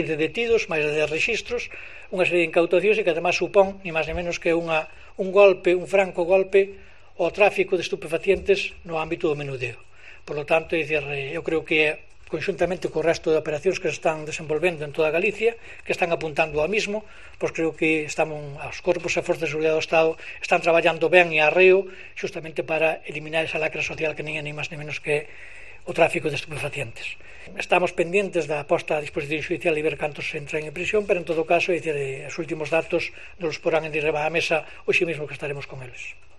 de detidos, máis de 10 rexistros, unha serie de incautacións e que además supón, ni máis ni menos que un franco golpe ao tráfico de estupefacientes no ámbito do menudeo. Por lo tanto, eu creo que conxuntamente co resto de operacións que se están desenvolvendo en toda Galicia, que están apuntando ao mismo, pois creo que os corpos e forzas de seguridade do Estado están traballando ben e arreo xustamente para eliminar esa lacra social que nin é ni máis ni menos que o tráfico de estupefacientes. Estamos pendientes da posta a disposición judicial e ver cantos entran en prisión, pero en todo caso, os últimos datos nos los porán en riba da mesa hoxe mesmo que estaremos con eles.